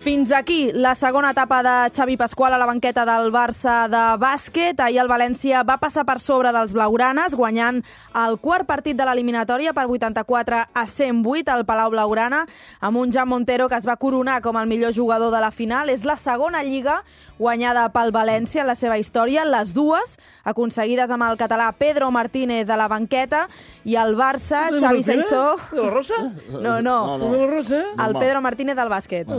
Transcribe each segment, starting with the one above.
Fins aquí la segona etapa de Xavi Pasqual a la banqueta del Barça de bàsquet. Ahir el València va passar per sobre dels blaugranes, guanyant el quart partit de l'eliminatòria per 84-108 al Palau Blaugrana, amb un Jan Montero que es va coronar com el millor jugador de la final. És la segona lliga guanyada pel València en la seva història, les dues aconseguides amb el català Pedro Martínez de la banqueta, i el Barça, Xavi Saissó... ¿De la Rosa? No. ¿De la Rosa? El Pedro Martínez del bàsquet.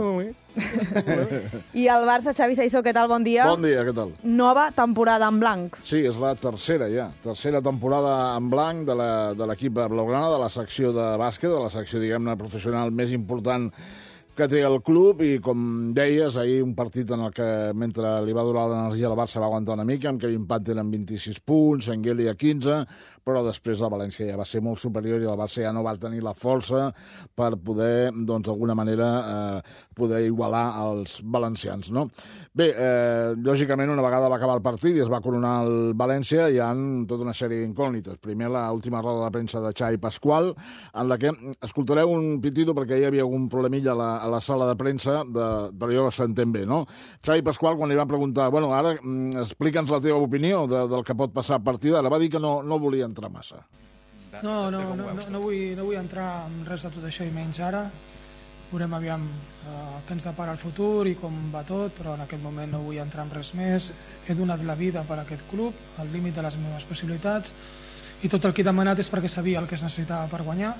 I el Barça, Xavi Saissó, què tal? Bon dia. Bon dia, què tal? Nova temporada en blanc. Sí, és la tercera ja. Tercera temporada en blanc de l'equip blaugrana, de la secció de bàsquet, de la secció, diguem-ne, professional més important que té el club, i com deies, ahir un partit en el que, mentre li va durar l'energia, el Barça va aguantar una mica, amb Kevin Panther amb 26 punts, Engeli a 15, però després el València ja va ser molt superior i el Barça ja no va tenir la força per poder, doncs, d'alguna manera, poder igualar els valencians, no? Bé, lògicament, una vegada va acabar el partit i es va coronar el València, hi ha tota una sèrie d'incògnites. Primer, l'última roda de premsa de Xavi Pasqual, en la que escoltareu un pitido perquè hi havia algun problemilla a la sala de premsa, però jo s'entén bé, no? Xavi Pasqual, quan li van preguntar, bueno, ara explica'ns la teva opinió del que pot passar a partir d'ara, va dir que no volia entrar massa. No vull entrar en res de tot això, i menys ara. Veurem aviam què ens depara el futur i com va tot, però en aquest moment no vull entrar en res més. He donat la vida per a aquest club, al límit de les meves possibilitats, i tot el que he demanat és perquè sabia el que es necessitava per guanyar,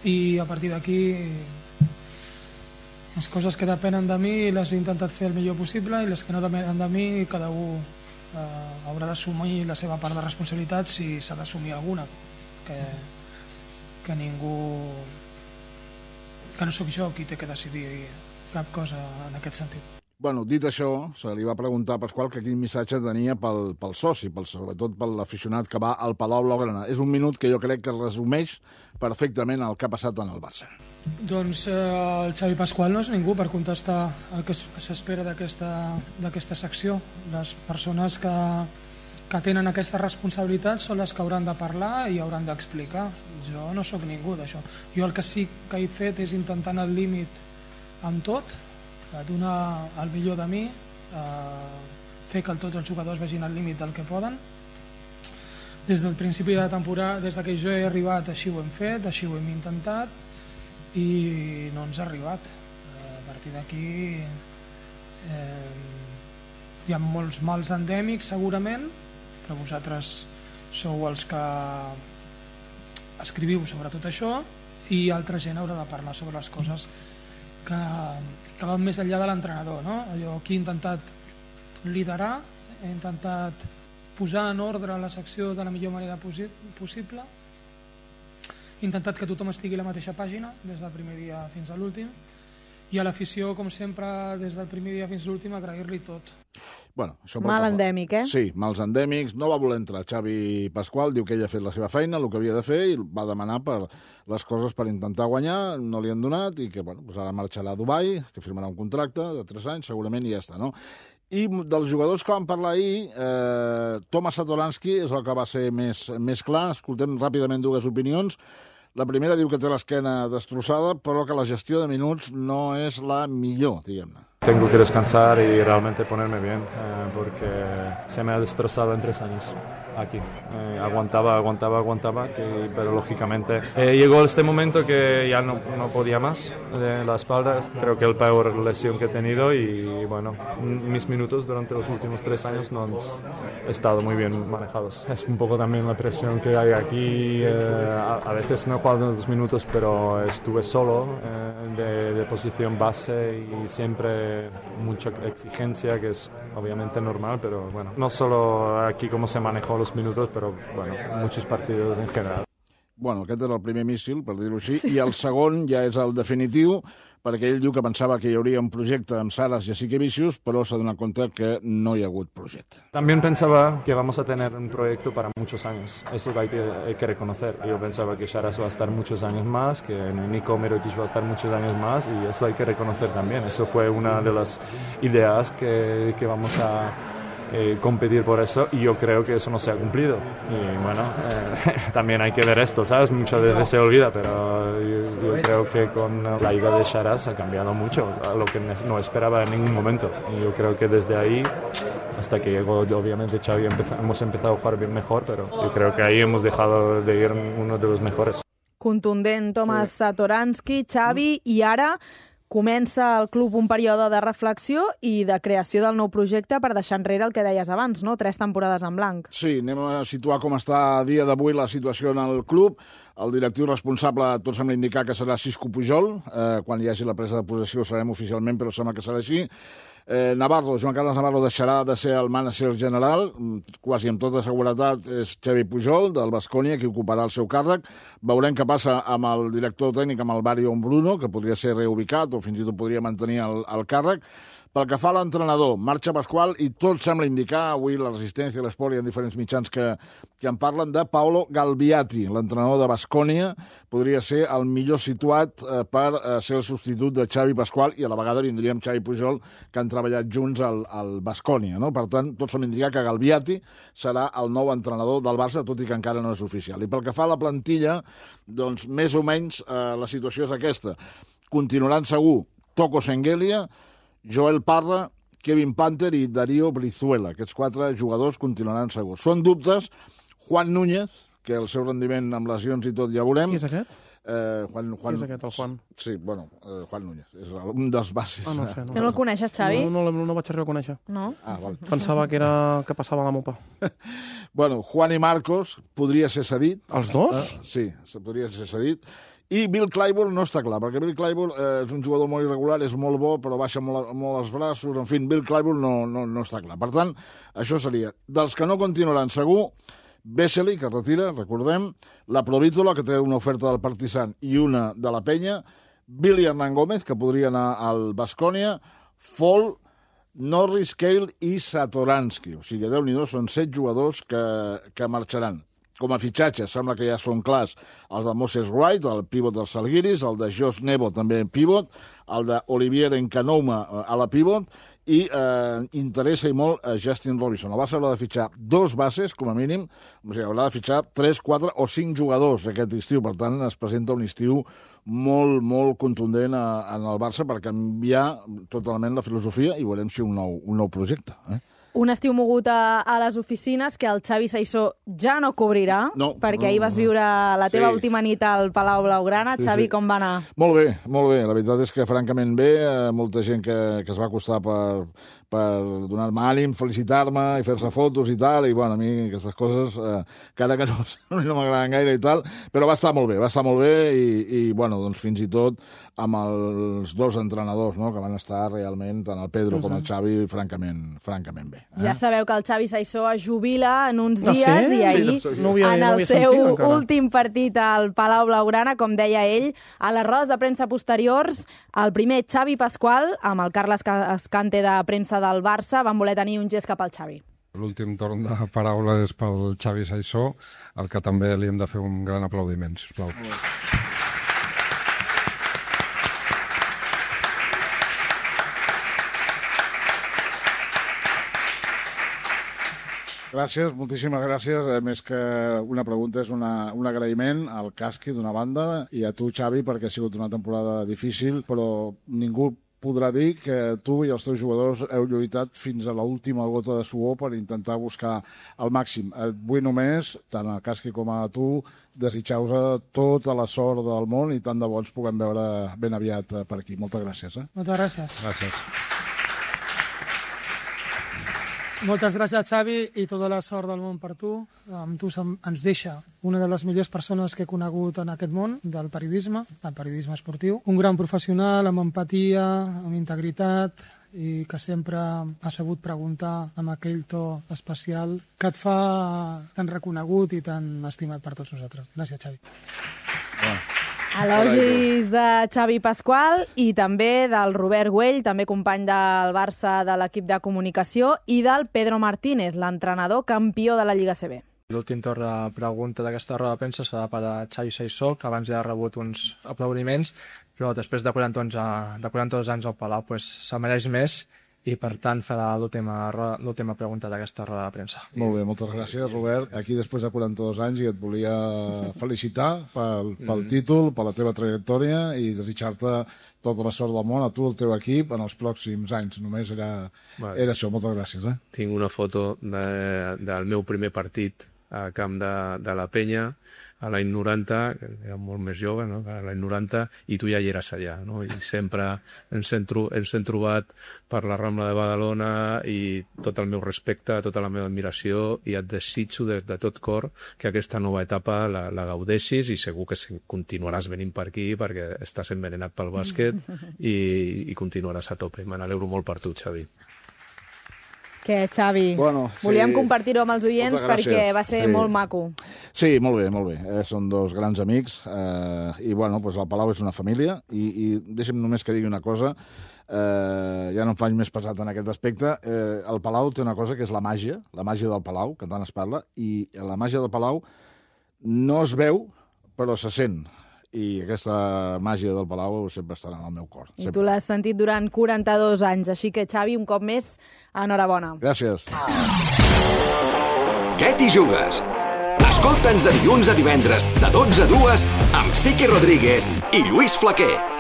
i a partir d'aquí les coses que depenen de mi les he intentat fer el millor possible, i les que no depenen de mi cada un haurà d'assumir la seva part de responsabilitat, si s'ha d'assumir alguna, que ningú, que no sóc jo qui té que decidir cap cosa en aquest sentit. Bueno, dit això, se li va preguntar a Pasqual que quin missatge tenia pel soci, sobretot per l'aficionat que va al Palau Blaugrana. És un minut que jo crec que resumeix perfectament el que ha passat en el Barça. Doncs el Xavi Pasqual no és ningú per contestar el que s'espera d'aquesta secció. Les persones que tenen aquesta responsabilitat són les que hauran de parlar i hauran d'explicar. Jo no sóc ningú d'això. Jo el que sí que he fet és intentar anar al límit amb tot, donar el millor de mi, fer que tots els jugadors vegin al límit del que poden. Des del principi de la temporada, des que jo he arribat, així ho hem fet, així ho hem intentat, i no ens ha arribat. A partir d'aquí hi ha molts mals endèmics segurament, però vosaltres sou els que escriviu sobre tot això, i altra gent haurà de parlar sobre les coses que van més enllà de l'entrenador, no? Allò que he intentat liderar, he intentat posar en ordre la secció de la millor manera possible, he intentat que tothom estigui a la mateixa pàgina des del primer dia fins a l'últim, i a l'afició, com sempre, des del primer dia fins a l'últim, agrair-li tot. Bueno, mal endèmic, eh? Sí, mals endèmics. No va voler entrar Xavi Pasqual, diu que ell ha fet la seva feina, el que havia de fer, i va demanar per les coses per intentar guanyar, no li han donat, i que doncs ara marxarà a Dubai, que firmarà un contracte de 3 anys, segurament, i ja està, no? I dels jugadors que van parlar ahir, Tomas Satoransky és el que va ser més clar. Escoltem ràpidament dues opinions. La primera diu que té l'esquena destrossada, però que la gestió de minuts no és la millor, diguem-ne. Tengo que descansar y realmente ponerme bien, porque se me ha destrozado en 3 años aquí. Aguantaba, pero lógicamente llegó este momento que ya no podía más de la espalda. Creo que el peor lesión que he tenido, y bueno, mis minutos durante los últimos 3 años no han estado muy bien manejados. Es un poco también la presión que hay aquí. A veces no he jugado 2 minutos, pero estuve solo de posición base, y siempre mucha exigencia, que es obviamente normal, pero bueno, no solo aquí cómo se manejó los minutos, pero bueno, muchos partidos en general. Bueno, aquest era el primer míssil, per dir-ho així, i el segon ja és el definitiu, perquè ell diu que pensava que hi hauria un projecte amb Saras y Jasikevičius, però s'ha donat compte que no hi ha hagut projecte. También pensaba que vamos a tener un proyecto para muchos años. Eso hay que reconocer. Yo pensaba que Saras va a estar muchos años más, que Nico Mirotic va a estar muchos años más, y eso hay que reconocer también. Eso fue una de las ideas que vamos a competir por eso, y yo creo que eso no se ha cumplido. Y bueno, también hay que ver esto, ¿sabes? Muchas veces se olvida, pero yo creo que con la ida de Sharaz ha cambiado mucho, a lo que no esperaba en ningún momento. Y yo creo que desde ahí, hasta que llegó obviamente Xavi, hemos empezado a jugar bien mejor, pero yo creo que ahí hemos dejado de ir uno de los mejores. Contundent Tomas Satoranski, Xavi, i ara comença al club un període de reflexió i de creació del nou projecte per deixar enrere el que deies abans, no? 3 temporades en blanc. Sí, anem a situar com està a dia d'avui la situació en el club. El directiu responsable, tot sembla indicar que serà Xisco Pujol. Quan hi hagi la presa de possessió ho sabem oficialment, però sembla que serà així. Navarro, Joan Carles Navarro deixarà de ser el manager general, quasi amb tota seguretat és Xavi Pujol, del Baskonia, qui ocuparà el seu càrrec. Veurem què passa amb el director tècnic, amb el Barrio Bruno, que podria ser reubicat o fins i tot podria mantenir el càrrec. Pel que fa a l'entrenador, marxa Pasqual, i tot sembla indicar, avui la Resistència, l'Esport, hi ha diferents mitjans que en parlen, de Paolo Galbiati, l'entrenador de Baskonia, podria ser el millor situat per ser el substitut de Xavi Pasqual, i a la vegada vindria amb Xavi Pujol, que han treballat junts al Baskonia, no? Per tant, tot sembla indicar que Galbiati serà el nou entrenador del Barça, tot i que encara no és oficial. I pel que fa a la plantilla, doncs més o menys la situació és aquesta. Continuaran segur Toko Sengelia, Joel Parra, Kevin Panther i Darío Brizuela. Aquests 4 jugadors continuaran segurs. Són dubtes. Juan Núñez, que el seu rendiment amb lesions i tot ja veurem. Qui és aquest? Juan... Qui és aquest, el Juan? Sí, bueno, Juan Núñez. És un dels bases. No sé. No el coneixes, Xavi? No vaig arribar a conèixer. No? Val. Pensava que passava a la mopa. Bueno, Juan i Marcos podria ser cedit. Els dos? Sí, podria ser cedit. I Bill Clyburn no està clar, perquè Bill Clyburn és un jugador molt irregular, és molt bo, però baixa molt els braços, en fi, Bill Clyburn no està clar. Per tant, això seria. Dels que no continuaran segur, Vesely, que retira, recordem, la Provítola, que té una oferta del Partizan i una de la Penya, Billy Hernán Gómez, que podria anar al Baskonia, Fall, Norris, Cale i Satoranski. O sigui, Déu-n'hi-do, són 7 jugadors que marxaran. Com a fitxatges, sembla que ja són clars els de Moses Wright, el pivot dels Salguiris, el de Josh Nebo, també pivot, el d'Olivier Encanouma a la pivot, i interessa i molt Justin Robinson. El Barça haurà de fitxar 2 bases, com a mínim, o sigui, haurà de fitxar 3, 4 o 5 jugadors aquest estiu. Per tant, es presenta un estiu molt, molt contundent en el Barça per canviar totalment la filosofia i veurem si un nou projecte. Un estiu mogut a les oficines que el Xavi Saissó ja no cobrirà, perquè ahir vas viure la teva última nit al Palau Blaugrana. Xavi, com va anar? Molt bé, molt bé. La veritat és que francament bé. Molta gent que es va acostar per donar-me ànim, felicitar-me i fer-se fotos i tal, i bueno, a mi aquestes coses, cada que no m'agraden gaire i tal, però va estar molt bé, i bueno, doncs fins i tot amb els 2 entrenadors, no?, que van estar realment, tant el Pedro com el Xavi, francament bé. Ja sabeu que el Xavi Saissó es jubila en uns dies, i ahir, en el seu últim partit al Palau Blaugrana, com deia ell, a les rodes de premsa posteriors, el primer Xavi Pasqual, amb el Carles Escante de premsa del Barça, van voler tenir un gest cap al Xavi. L'últim torn de paraula és pel Xavi Saissó, al que també li hem de fer un gran aplaudiment, sisplau. Gràcies, moltíssimes gràcies. Més que una pregunta, és un agraïment al Casqui, d'una banda, i a tu, Xavi, perquè ha sigut una temporada difícil, però ningú podrà dir que tu i els teus jugadors heu lluitat fins a l'última gota de suor per intentar buscar el màxim. Et vull només, tant a Casqui com a tu, desitjar-vos tota la sort del món, i tant de bo ens puguem veure ben aviat per aquí. Moltes gràcies. Moltes gràcies. Gràcies. Moltes gràcies, Xavi, i tota la sort del món per tu. Amb tu ens deixa una de les millors persones que he conegut en aquest món del periodisme esportiu. Un gran professional, amb empatia, amb integritat, i que sempre ha sabut preguntar amb aquell to especial que et fa tan reconegut i tan estimat per tots nosaltres. Gràcies, Xavi. Elogis de Xavi Pasqual i també del Robert Güell, també company del Barça de l'equip de comunicació, i del Pedro Martínez, l'entrenador campió de la Lliga CB. L'últim torn de pregunta d'aquesta roda de premsa serà per a Xavi Saissó, que abans ja ha rebut uns aplaudiments, però després de 42 anys al Palau se'n mereix més, i per tant farà l'última pregunta d'aquesta roda de premsa. Molt bé, moltes gràcies, Robert. Aquí després de 42 anys i et volia felicitar pel títol, per la teva trajectòria i desitjar-te tota la sort del món a tu, el teu equip, en els pròxims anys. Només era això. Moltes gràcies. Tinc una foto del meu primer partit al camp de la Penya, a l'any 90, que era molt més jove, no? A l'any 90, i tu ja hi eres allà, no? I sempre ens hem trobat per la Rambla de Badalona i tot el meu respecte, tota la meva admiració, i et desitjo de tot cor que aquesta nova etapa la gaudeixis i segur que continuaràs venint per aquí perquè estàs envenenat pel bàsquet i continuaràs a tope. Me n'alegro molt per tu, Xavi. Què, Xavi? Bueno, sí. Volíem compartir-ho amb els oients perquè va ser molt maco. Sí, molt bé. Són dos grans amics i, bueno, doncs el Palau és una família i deixa'm només que digui una cosa, ja no em faig més pesat en aquest aspecte. El Palau té una cosa que és la màgia del Palau, que tant es parla, i la màgia del Palau no es veu, però se sent. I aquesta màgia del Palau sempre estarà en el meu cor. I tu l'has sentit durant 42 anys, així que, Xavi, un cop més, enhorabona. Gràcies. Què t'hi jugues? Escolta'ns de dilluns a divendres, de 12 a 2, amb Siqui Rodríguez i Lluís Flaquer.